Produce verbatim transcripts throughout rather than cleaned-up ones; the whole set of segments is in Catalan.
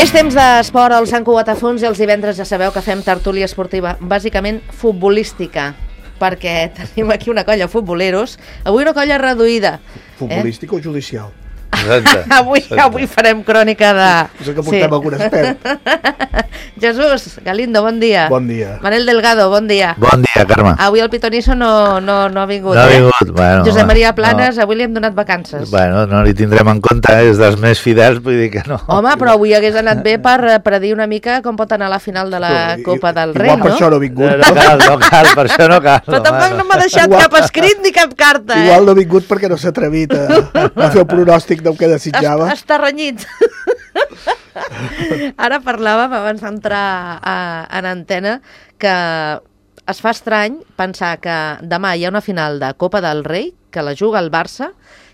És temps d'esport al Sant Cugat a Fons i els divendres ja sabeu que fem tertúlia esportiva, bàsicament futbolística, perquè tenim aquí una colla futboleros, avui una colla reduïda. Futbolística eh? o judicial? Exacte, avui, exacte. avui farem crònica de... És que portem sí. algun expert. Jesús Galindo, bon dia. Bon dia. Manel Delgado, bon dia. Bon dia, Carme. Avui el Pitonisso no, no, no ha vingut. No ha eh? vingut, bueno. Josep Maria Planes, no. avui li hem donat vacances. Bueno, no li tindrem en compte, és dels més fidels, vull dir que no. Home, però avui hagués anat bé per predir una mica com pot anar la final de la no, Copa del Rei, igual no? per això no ha vingut. No, no cal, no cal, per això no cal. Però tampoc no m'ha deixat igual, cap escrit ni cap carta, eh? Igual no ha vingut perquè no s'ha atrevit a, a fer el pronòstic del que desitjava. Està renyit. Ara parlàvem abans d'entrar a, en antena que es fa estrany pensar que demà hi ha una final de Copa del Rei que la juga el Barça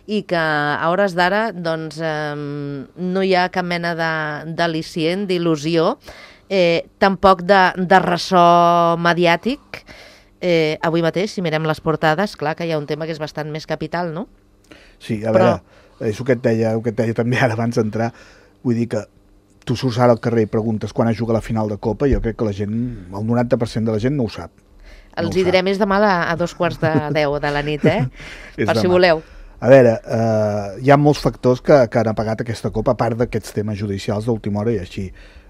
i que a hores d'ara doncs, eh, no hi ha cap mena d'al·licient, d'il·lusió, eh, tampoc de, de ressò mediàtic. Eh, avui mateix, si mirem les portades, clar que hi ha un tema que és bastant més capital, no? Sí, a Però... veure, és el que et deia, el que et deia també ara abans d'entrar. Vull dir que tu surts ara al carrer i preguntes quan es juga la final de Copa, jo crec que la gent, el noranta per cent de la gent no ho sap. Els no hi diré més demà a dos quarts de deu de la nit, eh? Per si demà. voleu. A veure, eh, hi ha molts factors que, que han apagat aquesta Copa, a part d'aquests temes judicials d'última hora i així.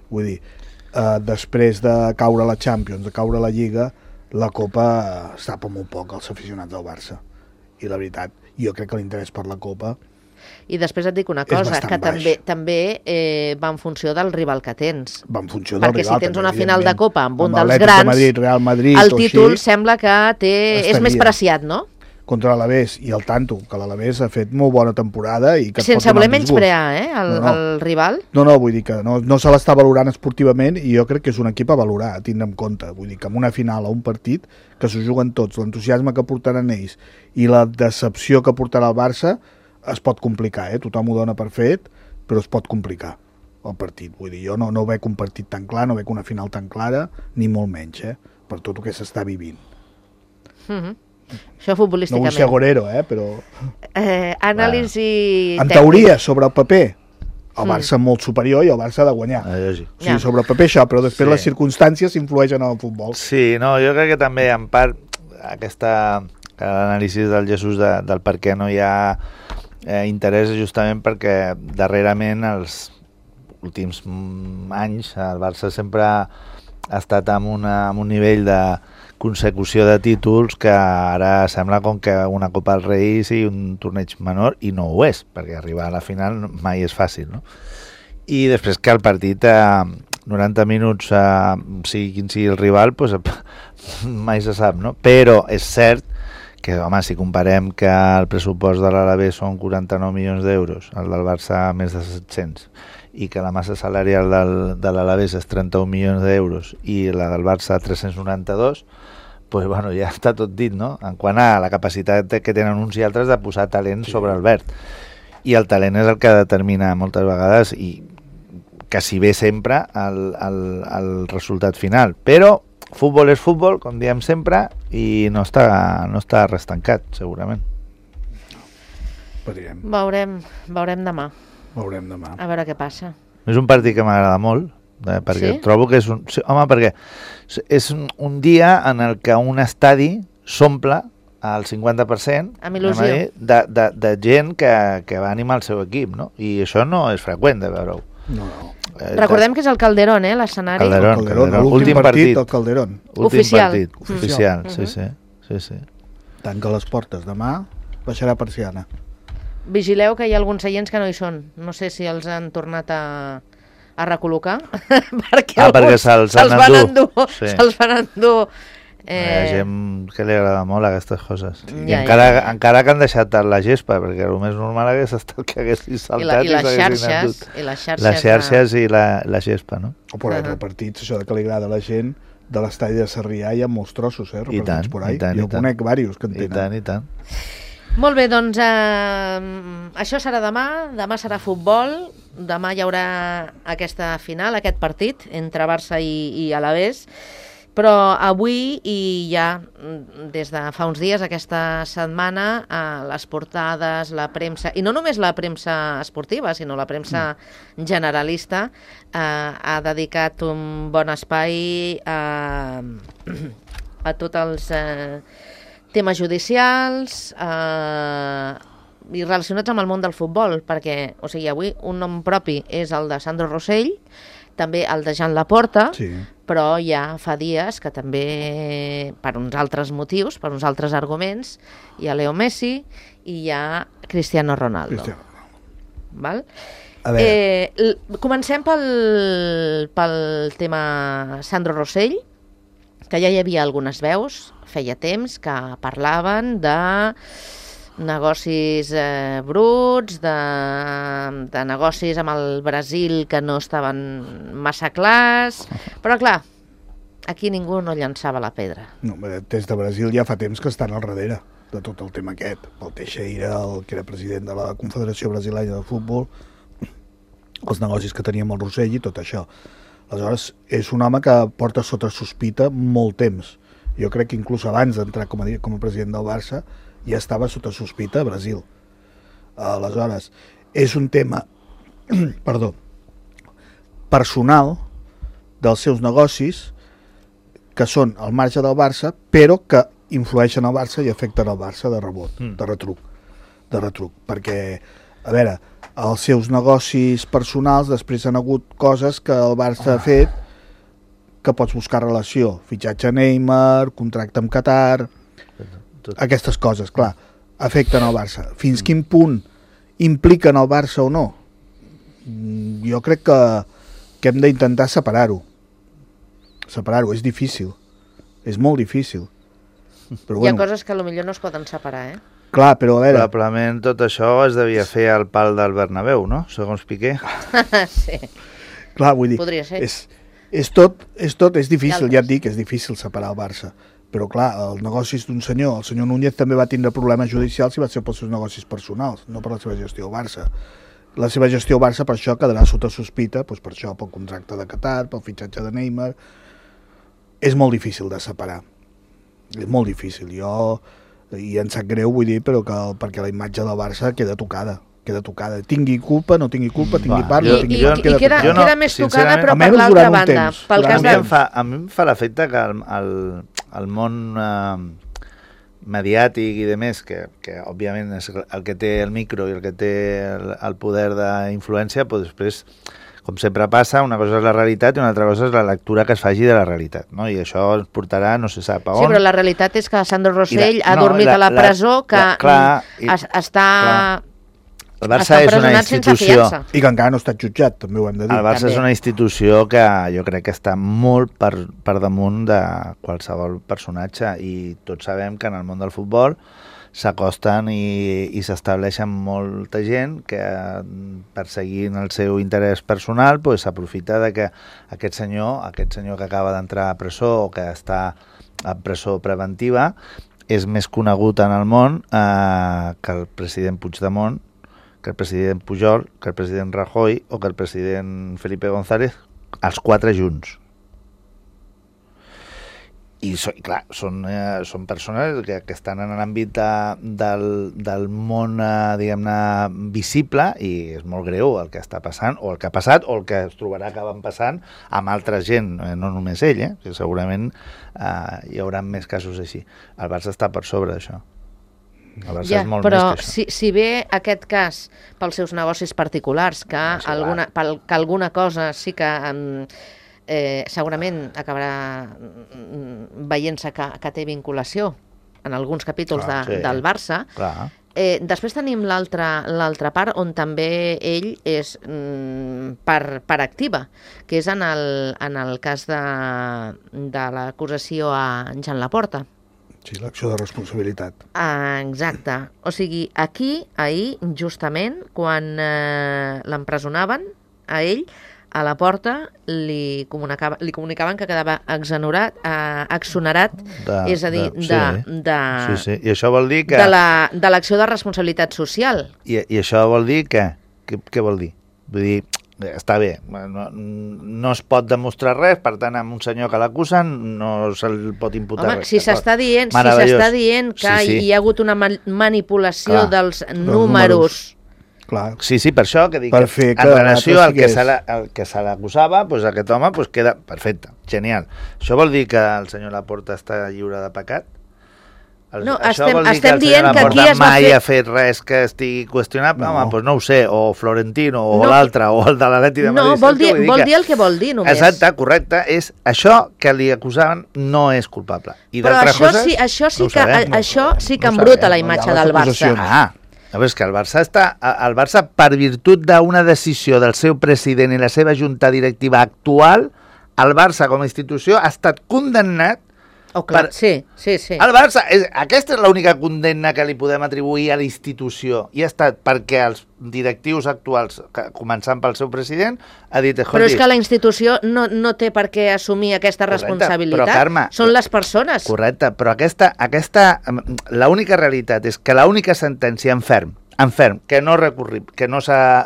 Vull dir, eh, després de caure la Champions, de caure la Lliga, la Copa es tapa molt poc als aficionats del Barça. I la veritat, jo crec que l'interès per la Copa... I després et dic una cosa, que baix. també també eh, va en funció del rival que tens. Va en funció del Perquè rival, si tens també, una final de Copa amb un amb dels grans, Madrid, Real Madrid, el títol així, sembla que té, és més preciat, no? Contra l'Alavés, i el tanto, que l'Alavés ha fet molt bona temporada i que sense voler menysprear, eh, el, no, no. el rival. No, no, vull dir que no, no se l'està valorant esportivament i jo crec que és un equip a valorar, a tindre en compte. Vull dir que en una final o un partit que s'ho juguen tots, l'entusiasme que portaran ells i la decepció que portarà el Barça es pot complicar, eh? Tothom ho dona per fet, però es pot complicar el partit. Vull dir, jo no, no veig un partit tan clar, no veig una final tan clara, ni molt menys, eh? Per tot el que s'està vivint. Mm-hmm. Això futbolísticament. No vull ser agorero, eh? Però... Eh, anàlisi en tècnic. teoria, sobre el paper, el Barça mm. molt superior i el Barça ha de guanyar. Ah, sí. O sigui, sobre el paper això, però després sí. les circumstàncies influeixen en el futbol. Sí, no, jo crec que també, en part, aquesta l'anàlisi del Jesús de, del per què no hi ha eh, interès justament perquè darrerament els últims anys el Barça sempre ha estat amb, una, amb un nivell de consecució de títols que ara sembla com que una Copa del Rei sigui un torneig menor i no ho és, perquè arribar a la final mai és fàcil, no? I després que el partit a noranta minuts, a, sigui quin sigui el rival, pues, mai se sap, no? Però és cert que, home, si comparem que el pressupost de l'Alavés són quaranta-nou milions d'euros, el del Barça més de set-cents, i que la massa salarial del, de l'Alavés és trenta-un milions d'euros i la del Barça tres-cents noranta-dos, pues, bueno, ja està tot dit, no? En quant a la capacitat que tenen uns i altres de posar talent sí. sobre el verd. I el talent és el que determina moltes vegades, i quasi bé sempre, el, el, el resultat final. Però futbol és futbol, com diem sempre, i no està, no està res tancat, segurament. Veurem. Veurem, veurem demà. Veurem demà. A veure què passa. És un partit que m'agrada molt, eh, perquè sí? trobo que és un... Sí, home, perquè és un, un dia en el que un estadi s'omple al cinquanta per cent amb il·lusió de, de, de gent que, que va animar el seu equip, no? I això no és freqüent de veure-ho. No, no. Eh, Recordem que és el Calderón, eh, l'escenari. Calderón, Calderón, Calderón. l'últim partit, partit, el Calderón. Últim oficial. partit, oficial. oficial. Uh-huh. Sí, sí, sí, sí. Tanca les portes. Demà baixarà persiana. Vigileu que hi ha alguns seients que no hi són. No sé si els han tornat a, a recol·locar. perquè ah, perquè se'ls se van van endur. endur. Sí. Se'ls van endur. Eh... Hi ha gent que li agrada molt aquestes coses. Sí. I Ja, encara, ja. encara que han deixat la gespa, perquè el més normal hagués estat que haguessin saltat I, la, i, les i xarxes, i les xarxes. Les xarxes i la, la gespa, no? O per Uh-huh. altres partits, això que li agrada a la gent, de l'estadi de Sarrià hi ha molts trossos, eh? I tant, por ahí. i tant, jo i tant. conec diversos que en I tenen. tant, i tant. Molt bé, doncs eh, això serà demà, demà serà futbol, demà hi haurà aquesta final, aquest partit entre Barça i, i Alavés. Però avui i ja des de fa uns dies, aquesta setmana, eh, les portades, la premsa, i no només la premsa esportiva, sinó la premsa generalista, eh, ha dedicat un bon espai a, a tots els eh, temes judicials eh, i relacionats amb el món del futbol, perquè, o sigui, avui un nom propi és el de Sandro Rosell, també el de Joan Laporta, sí. Però ja fa dies que també, per uns altres motius, per uns altres arguments, hi ha Leo Messi i hi ha Cristiano Ronaldo. Cristiano. Val? A veure. Eh, comencem pel, pel tema Sandro Rosell, que ja hi havia algunes veus, feia temps, que parlaven de negocis eh, bruts, de, de negocis amb el Brasil que no estaven massa clars, però clar, aquí ningú no llançava la pedra. No, des de Brasil ja fa temps que estan al darrere de tot el tema aquest. El Teixeira, el que era president de la Confederació Brasilenya de Futbol, els negocis que tenia amb el Rosell i tot això. Aleshores, és un home que porta sota sospita molt temps. Jo crec que inclús abans d'entrar com a, com a president del Barça ja estava sota sospita a Brasil. Aleshores, és un tema perdó, personal dels seus negocis que són al marge del Barça, però que influeixen al Barça i afecten al Barça de rebot, mm. de retruc, de retruc, perquè, a veure, els seus negocis personals després han hagut coses que el Barça ha fet que pots buscar relació, fitxatge a Neymar, contracte amb Qatar, aquestes coses, clar, afecten al Barça. Fins quin punt impliquen el Barça o no? Jo crec que, que hem d'intentar separar-ho. Separar-ho, és difícil. És molt difícil. Però, Hi ha bueno, coses que potser no es poden separar, eh? Clar, però a veure... Probablement tot això es devia fer al pal del Bernabéu, no? Segons Piqué. Sí. Clar, vull dir... Podria ser. És, és tot, és tot, és difícil, ja et dic, és difícil separar el Barça. Però clar, els negocis d'un senyor, el senyor Núñez també va tindre problemes judicials i va ser pels seus negocis personals, no per la seva gestió al Barça. La seva gestió al Barça per això quedarà sota sospita, doncs per això, pel contracte de Qatar, pel fitxatge de Neymar. És molt difícil de separar. És molt difícil. Jo, i em sap greu, vull dir, però que, perquè la imatge del Barça queda tocada. queda tocada. Tingui culpa, no tingui culpa, tingui part, no tingui part. I, i queda, no, queda més tocada, però per l'altra banda. Pel cas de... fa, a mi em fa l'efecte que el, el, el món eh, mediàtic i de més, que, que òbviament és el que té el micro i el que té el, el poder d'influència, doncs després, com sempre passa, una cosa és la realitat i una altra cosa és la lectura que es faci de la realitat, no? I això ens portarà no se sap a on. Sí, però la realitat és que Sandro Rosell la, ha no, dormit la, a la presó, la, que la, clar, i, es, està... Clar. El Barça és una institució... I que encara no està jutjat, també ho hem de dir. El Barça també és una institució que jo crec que està molt per, per damunt de qualsevol personatge i tots sabem que en el món del futbol s'acosten i, i s'estableixen molta gent que perseguint el seu interès personal pues, s'aprofita de que aquest senyor, aquest senyor que acaba d'entrar a presó o que està a presó preventiva és més conegut en el món eh, que el president Puigdemont, que el president Pujol, que el president Rajoy o que el president Felipe González, els quatre junts. I, so, i clar, són, eh, són persones que, que estan en l'àmbit de, del, del món, eh, diguem-ne, visible, i és molt greu el que està passant, o el que ha passat, o el que es trobarà acabant passant amb altra gent, eh, no només ell, eh, que segurament eh, hi haurà més casos així. El Barça està per sobre d'això. Ja, però si, si bé aquest cas pels seus negocis particulars, que, no, sí, alguna, pel, que alguna cosa sí que eh, segurament acabarà veient-se que, que té vinculació en alguns capítols clar, de, sí, del Barça, eh, després tenim l'altra part on també ell és mm, per, per activa, que és en el, en el cas de, de l'acusació a Joan Laporta. Sí, l'acció de responsabilitat. Ah, exacte. O sigui, aquí, ahir, justament, quan eh, l'empresonaven, a ell, a Laporta, li, comunicava, li comunicaven que quedava exonerat, eh, exonerat de, és a dir, de, de, sí. de, sí, sí. I això vol dir que... de, la, de l'acció de responsabilitat social. I, i això vol dir que... Què, què vol dir? Vull dir, està bé, no, no es pot demostrar res, per tant, amb un senyor que l'acusen no se'l pot imputar Home, res. si s'està dient, si s'està dient que sí, sí. hi ha hagut una manipulació Clar, dels números... Clar. Sí, sí, per això que dic, per que en relació al que, que se l'acusava, pues aquest home pues queda perfecte, genial. Això vol dir que el senyor Laporta està lliure de pecat? El, no, això estem, vol dir estem que dient que aquí es va mai fer... ha fet res que estigui qüestionable? No. Home, doncs no ho sé, o Florentino, o no, l'altre, o el de l'Atleti de Madrid. No, vol dir, vol dir el que vol dir, només. Exacte, correcte, és això que li acusaven no és culpable. I Però això coses, sí, això sí no que, sabem, a, això sí que no embruta sabem, la imatge del Barça. Ah, a veure, és que el Barça està... El Barça, per virtut d'una decisió del seu president i la seva junta directiva actual, el Barça com a institució ha estat condemnat. Oh, clar, per... sí, sí, sí. El Barça, és, aquesta és l'única condemna que li podem atribuir a la institució, i ha estat perquè els directius actuals, començant pel seu president, ha dit... Però és que la institució no, no té per què assumir aquesta correcte, responsabilitat, però, Carme, són les persones. Correcte, però aquesta, aquesta, l'única realitat és que l'única sentència en ferm, en ferm, que no, recurri, que no,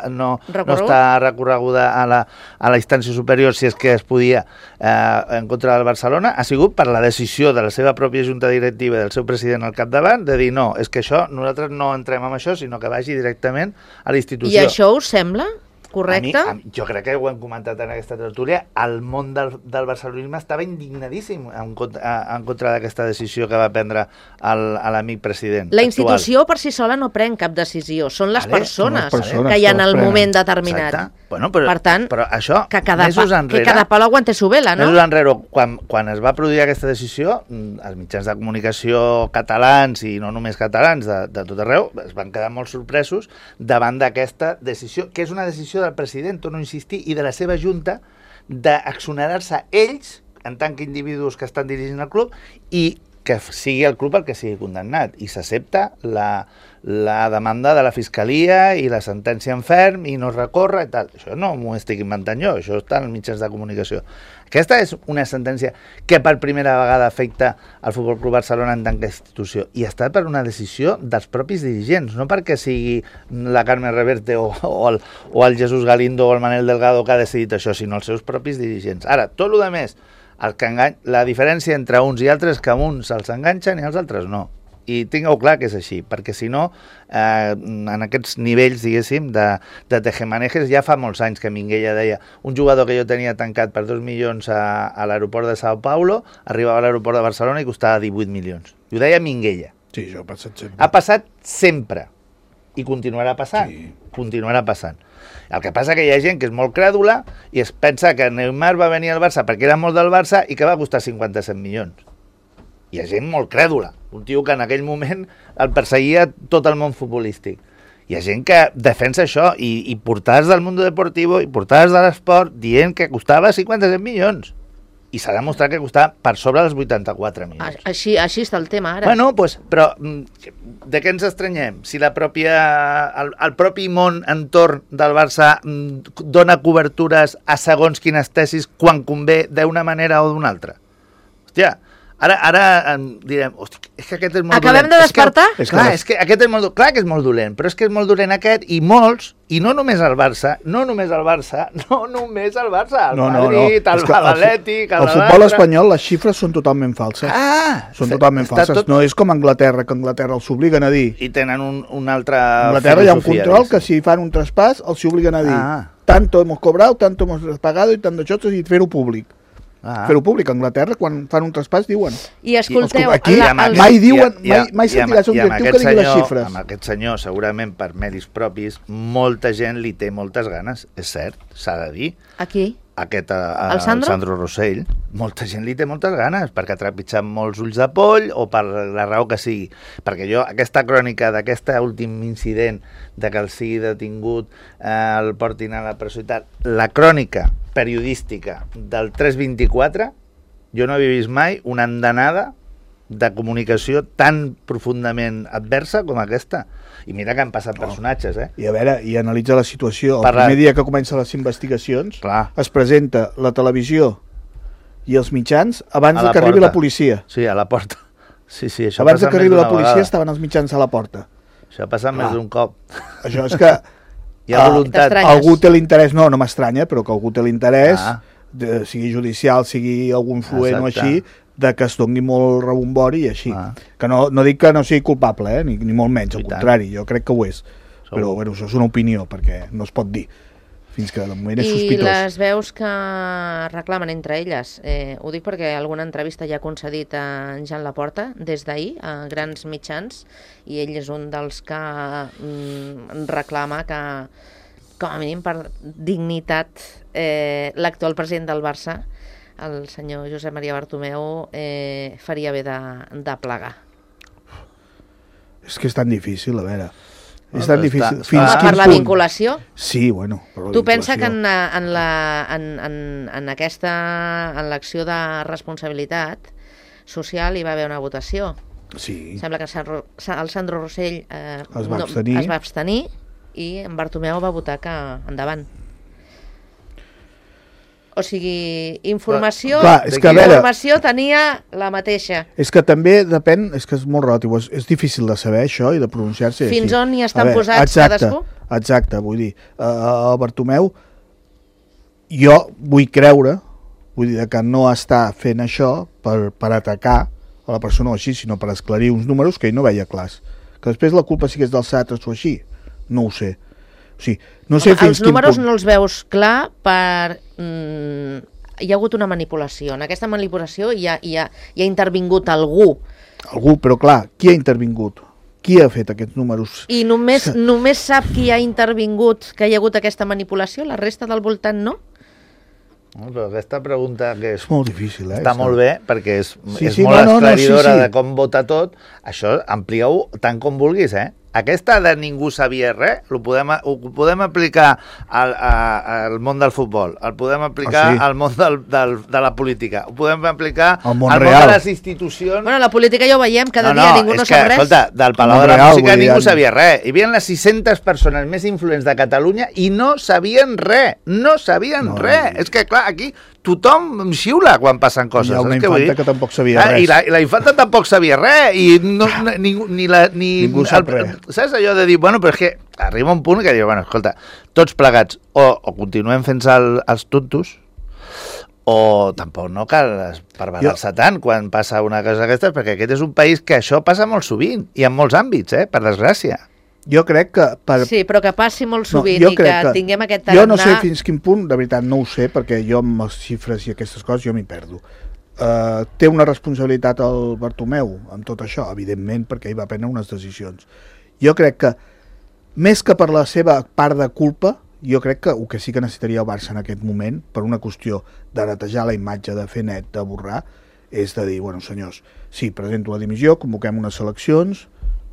no, no està recorreguda a la, a la instància superior, si és que es podia, eh, en contra del Barcelona, ha sigut per la decisió de la seva pròpia junta directiva i del seu president al capdavant de dir no, és que això, nosaltres no entrem en això, sinó que vagi directament a la institució. I això us sembla correcte? A mi, a, jo crec que ho hem comentat en aquesta tertúlia, el món del, del barcelonisme estava indignadíssim en contra, en contra d'aquesta decisió que va prendre l'amic president. La institució actual. Per si sola no pren cap decisió, són les, vale, persones, les persones que hi ha en el moment determinat. Bueno, però, per tant, però això, que cada, mesos pa, enrere, que cada pal aguante su vela, no? Mesos enrere, quan, quan es va produir aquesta decisió, els mitjans de comunicació catalans i no només catalans de, de tot arreu es van quedar molt sorpresos davant d'aquesta decisió, que és una decisió del president, torno a insistir, i de la seva junta d'exonerar-se ells en tant que individus que estan dirigint el club i que sigui el club el que sigui condemnat, i s'accepta la, la demanda de la Fiscalia i la sentència en ferm i no recorre i tal. Això no m'ho estic inventant jo, això està en els mitjans de comunicació. Aquesta és una sentència que per primera vegada afecta al Futbol Club Barcelona en tant que institució, i està per una decisió dels propis dirigents, no perquè sigui la Carme Reverte o, o, el, o el Jesús Galindo o el Manel Delgado que ha decidit això, sinó els seus propis dirigents. Ara, tot el que més, el que engany... la diferència entre uns i altres és que a uns se'ls enganxen i als altres no. I tingueu clar que és així, perquè si no, eh, en aquests nivells, diguéssim, de, de tejemanejes, ja fa molts anys que Minguella deia un jugador que jo tenia tancat per dos milions a, a l'aeroport de Sao Paulo, arribava a l'aeroport de Barcelona i costava divuit milions. I ho deia Minguella. Sí, això ha passat sempre. Ha passat sempre. I continuarà passant. Sí. Continuarà passant. El que passa que hi ha gent que és molt crèdula i es pensa que Neymar va venir al Barça perquè era molt del Barça i que va costar cinquanta-set milions. Hi ha gent molt crèdula, un tio que en aquell moment el perseguia tot el món futbolístic. Hi ha gent que defensa això i, i portades del Mundo Deportivo i portades de l'esport dient que costava cinquanta-set milions. I s'ha demostrat que costava per sobre dels vuitanta-quatre milions. Així, així està el tema ara. Bueno, pues, però de què ens estranyem? Si la pròpia, el, el propi món entorn del Barça dona cobertures a segons quines tesis quan convé d'una manera o d'una altra. Hòstia, Ara, ara direm, hosti, és que aquest és molt Acabem dolent. de despertar? És que, clar, és que aquest és molt, clar que és molt dolent, però és que és molt dolent aquest, i molts, i no només el Barça, no només el Barça, no només el Barça, el no, Madrid, no, no. el Atlètic, el, el futbol espanyol, les xifres són totalment falses. Ah! Són totalment falses. Tot... No és com Anglaterra, que Anglaterra els obliguen a dir. I tenen un, un altre... A Anglaterra hi ha un control que si fan un traspàs els obliguen a dir ah. tanto hemos cobrado, tanto hemos pagado i tant d'això, i fer-ho públic. Ah. Fer-ho públic. A Anglaterra, quan fan un traspàs, diuen. I escolteu... Aquí la, el... mai diuen, i, i, mai, mai sentiràs un directiu que digui senyor, les xifres. Amb aquest senyor, segurament per mèrits propis, molta gent li té moltes ganes, és cert, s'ha de dir. Aquí? Aquest, a, a, el Sandro? Sandro Rossell, molta gent li té moltes ganes, perquè ha trepitjat molts ulls de poll o per la raó que sigui. Perquè jo, aquesta crònica d'aquest últim incident de que el sigui detingut, eh, el portin a la presó i tal, la crònica periodística del tres vint-i-quatre, jo no havia vist mai una andanada de comunicació tan profundament adversa com aquesta. I mira que han passat personatges, eh? I a veure, i analitza la situació. El Parla... primer dia que comencen les investigacions, clar, es presenta la televisió i els mitjans abans de que arribi la policia. Sí, a la porta. Sí, sí, això abans de que arribi la policia vegada. Estaven els mitjans a la porta. Això ha passat clar. Més d'un cop. Això és que Hi ha voluntat. Algú té l'interès, no, no m'estranya, però que algú té l'interès, ah. sigui judicial, sigui algun influent o així, de que es doni molt rebombori i així. Ah. Que no, no dic que no sigui culpable, eh? ni, ni molt menys, al contrari, jo crec que ho és. Segur. Però bueno, això és una opinió, perquè no es pot dir. Fins que de moment és sospitós. I les veus que reclamen entre elles, eh, ho dic perquè alguna entrevista ja ha concedit a Jean Laporta des d'ahir a grans mitjans, i ell és un dels que mm, reclama que, com a mínim per dignitat, eh, l'actual president del Barça, el senyor Josep Maria Bartomeu, eh, faria bé de, de plegar. És que és tan difícil, a veure... És tan difícil. Està, Fins per la punt? Vinculació? Sí, bueno, per la tu vinculació. pensa que en, en, la, en, en, en aquesta en l'acció de responsabilitat social hi va haver una votació. Sí. Sembla que el Sandro Rossell eh, es, va abstenir. no, es va abstenir i en Bartomeu va votar que endavant. O sigui, informació, clar, és que, informació veure, tenia la mateixa. És que també depèn, és que és molt relatiu, és, és difícil de saber això i de pronunciar-se. Fins així. on hi estan veure, posats exacte, cadascú? Exacte, vull dir, uh, el Bartomeu, jo vull creure, vull dir que no està fent això per, per atacar a la persona o així, sinó per esclarir uns números que ell no veia clars. Que després la culpa sí que és dels altres o així, no ho sé. O sigui, no sé Home, fins els números punt... no els veus clar per... Mm, hi ha hagut una manipulació. En aquesta manipulació hi ha, hi ha, hi ha intervingut algú. Algú, però clar, qui ha intervingut? Qui ha fet aquests números? I només, només sap qui ha intervingut que hi ha hagut aquesta manipulació? La resta del voltant no? No, però aquesta pregunta que és, és molt difícil, eh? Està Està molt bé, perquè és, sí, és sí, molt no, no, esclaridora no, sí, sí. de com vota tot. Això amplieu tant com vulguis, eh? Aquesta de ningú sabia res, ho podem, ho podem aplicar al, a, al món del futbol, el podem aplicar ah, sí? al món del, del, de la política, ho podem aplicar al món, al món de les institucions... Bueno, la política ja ho veiem, cada no, dia no, ningú no que, sap res. Escolta, del Palau de la real, Música ningú dir, sabia res. Hi havia les sis-centes persones més influents de Catalunya i no sabien res, no sabien no, res. No. És que, clar, aquí tothom xiula quan passen coses. Hi ha una que infanta que tampoc sabia ah, res. I la, i la infanta tampoc sabia res. I no, no, ningú, ni la, ni ningú sap el, res. Saps allò de dir, bueno, però és que arriba un punt que diu, bueno, escolta, tots plegats o, o continuem fent el, els tontos o tampoc no cal perverar-se tant quan passa una cosa d'aquestes, perquè aquest és un país que això passa molt sovint i en molts àmbits, eh, per desgràcia. Jo crec que... Per... Sí, però que passi molt sovint no, i que, que tinguem aquest tarannà... Jo no sé fins quin punt, de veritat no ho sé, perquè jo amb les xifres i aquestes coses jo m'hi perdo. Uh, té una responsabilitat el Bartomeu amb tot això, evidentment, perquè ell va prendre unes decisions. Jo crec que, més que per la seva part de culpa, jo crec que el que sí que necessitaria el Barça en aquest moment, per una qüestió de netejar la imatge, de fer net, de borrar, és de dir, bueno, senyors, sí, presento la dimissió, convoquem unes eleccions,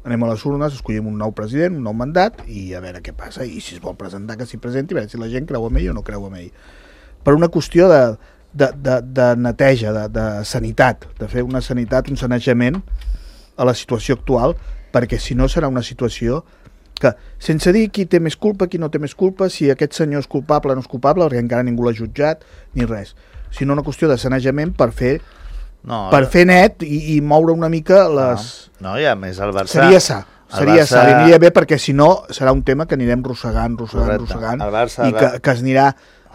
anem a les urnes, escollim un nou president, un nou mandat, i a veure què passa, i si es vol presentar que s'hi presenti, a veure si la gent creu en ell o no creu en ell. Per una qüestió de, de, de, de neteja, de, de sanitat, de fer una sanitat, un sanejament a la situació actual, perquè si no serà una situació que, sense dir qui té més culpa, qui no té més culpa, si aquest senyor és culpable o no és culpable, perquè encara ningú l'ha jutjat, ni res, sinó una qüestió de sanejament per fer No, per fer net i, i moure una mica les... No, no, i a més el Barça... Seria sa, seria Barça... sa, li aniria bé perquè si no serà un tema que anirem rossegant, rossegant, Correcte. rossegant Barça, i que, que es, anirà,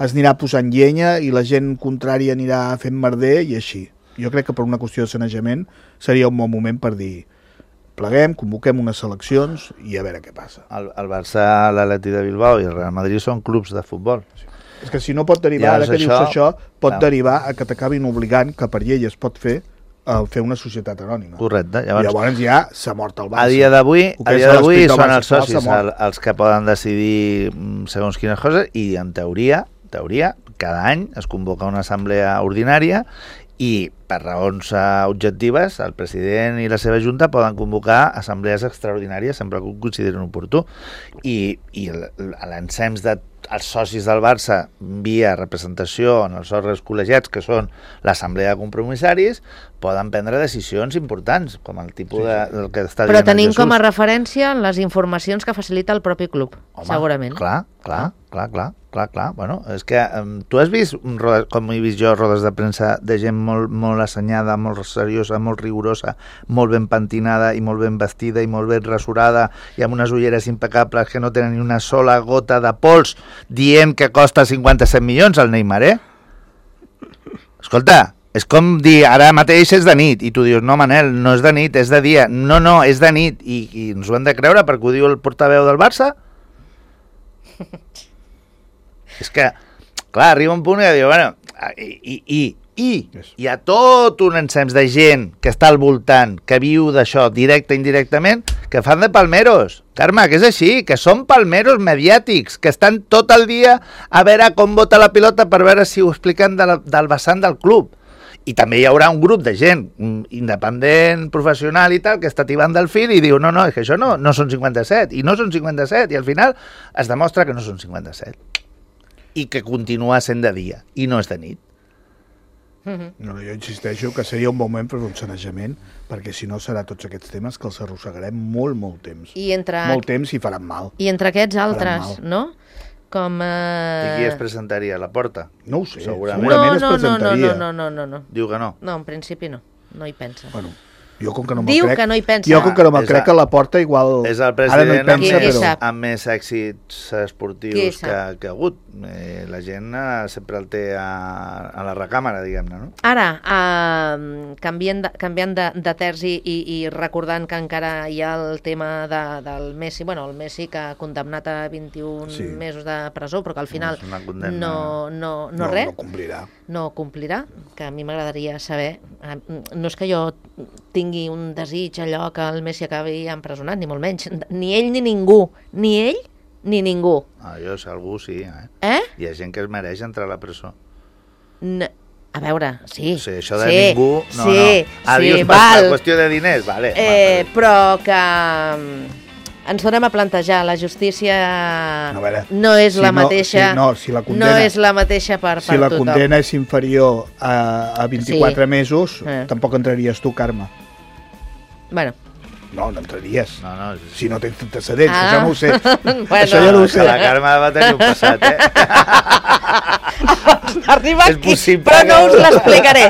es anirà posant llenya i la gent contrària anirà fent merder i així. Jo crec que per una qüestió de sanejament seria un bon moment per dir pleguem, convoquem unes seleccions i a veure què passa. El, el Barça, l'Atleti de Bilbao i el Real Madrid són clubs de futbol. Sí. És que si no pot derivar, ja, ara que això, dius això, pot no. derivar a que t'acabin obligant, que per llei es pot fer, a fer una societat anònima. Correcte. Llavors, Llavors ja s'ha mort el Barça. A dia d'avui a dia d'avui són els socis el, els que poden decidir segons quines coses i en teoria, teoria, cada any es convoca una assemblea ordinària i per raons uh, objectives el president i la seva junta poden convocar assemblees extraordinàries sempre que ho considerin oportú i, i l'ensems de els socis del Barça via representació en els òrgans col·legiats que són l'assemblea de compromissaris poden prendre decisions importants, com el tipus Sí, de, sí. del que està Però dient el tenim Jesús. com a referència les informacions que facilita el propi club, Home, segurament. Clar, clar, clar, clar, clar, clar. Bueno, és que um, tu has vist, rodes, com he vist jo, rodes de premsa de gent molt, molt assenyada, molt seriosa, molt rigorosa, molt ben pentinada i molt ben vestida i molt ben rasurada i amb unes ulleres impecables que no tenen ni una sola gota de pols dient que costa cinquanta-set milions el Neymar, eh? Escolta, és com dir, ara mateix és de nit, i tu dius, no, Manel, no és de nit, és de dia. No, no, és de nit, i, i ens ho hem de creure perquè ho diu el portaveu del Barça? És que, clar, arriba un punt que diu, bueno, i, i, i, i hi ha tot un ensems de gent que està al voltant, que viu d'això directe i indirectament, que fan de palmeros. Carme, que és així, que són palmeros mediàtics, que estan tot el dia a veure com bota la pilota per veure si ho expliquen de la, del vessant del club. I també hi haurà un grup de gent independent, professional i tal, que està tibant del fil i diu, no, no, és que això no, no són cinquanta-set, i no són cinquanta-set, i al final es demostra que no són cinquanta-set. I que continua sent de dia, i no és de nit. No, jo insisteixo que seria un moment per un sanejament, perquè si no serà tots aquests temes que els arrossegarem molt, molt temps. I entre, Molt temps i faran mal. i entre aquests Faran altres, mal. no? Com... Eh... I qui es presentaria a la porta? No ho sé, Segurament. segurament es no, no, no, presentaria. no, no, no, no. Diu que no. No, en principi no. No hi pensa. Bueno, jo com que no me'l Diu crec... que no hi pensa. Jo com que no me'l És crec a- a la porta igual... És el Ara no hi president amb, pensa, Qui- qui més, però... sap? amb més èxits esportius Qui que, sap? que ha hagut. Eh, la gent eh, sempre el té a, a la recàmera, diguem-ne, no? Ara, eh, canviant, de, canviant de, de terç i, i, i recordant que encara hi ha el tema de, del Messi, bueno, el Messi que ha condemnat a vint-i-un Sí. mesos de presó, però que al final és una condemna. no, no, no, No, res, no complirà. no complirà, que a mi m'agradaria saber, eh, no és que jo tingui un desig allò que el Messi acabi empresonat, ni molt menys, ni ell ni ningú, ni ell ni ningú. Ah, jo sé, algú sí, eh? Eh? Hi ha gent que es mereix entrar a la presó. N a veure, sí. O sigui, això de sí, ningú... No, sí, no. Ah, sí, dius, per, val. per qüestió de diners, vale. Eh, va, però que mm, ens tornem a plantejar, la justícia No, a veure, no és si la no- mateixa, si no, si la condena- no és la mateixa per, Si per la tothom. condena és inferior a, a vint-i-quatre Sí. mesos, Eh. tampoc entraries tu, Carme. Bueno, No, no entraries. No, no, sí. Si no tens antecedents, Ah. això no ho sé. Bueno. Això ja no ho Que sé. la Carme va tenir un passat, eh? arriba És aquí, possible però no que- us l'explicaré,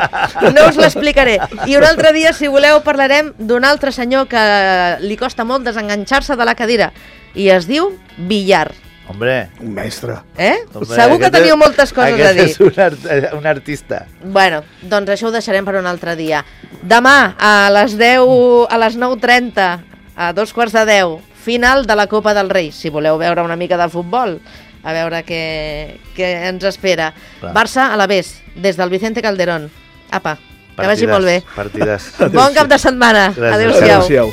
no us l'explicaré. I un altre dia, si voleu, parlarem d'un altre senyor que li costa molt desenganxar-se de la cadira i es diu Villar. Hombre, Un mestre. Eh? hombre, Segur que aquest teniu és- moltes coses a aquest dir. és un, art, un artista. Bueno, doncs això ho deixarem per un altre dia. Demà, a les deu, a les nou trenta, a dos quarts de deu, final de la Copa del Rei. Si voleu veure una mica de futbol, a veure què, què ens espera. Clar. Barça a la Vés, des del Vicente Calderón. Apa, que vagi Partides, molt bé. Partides. Bon cap de setmana. Gràcies. Adéu-siau. Adéu-siau.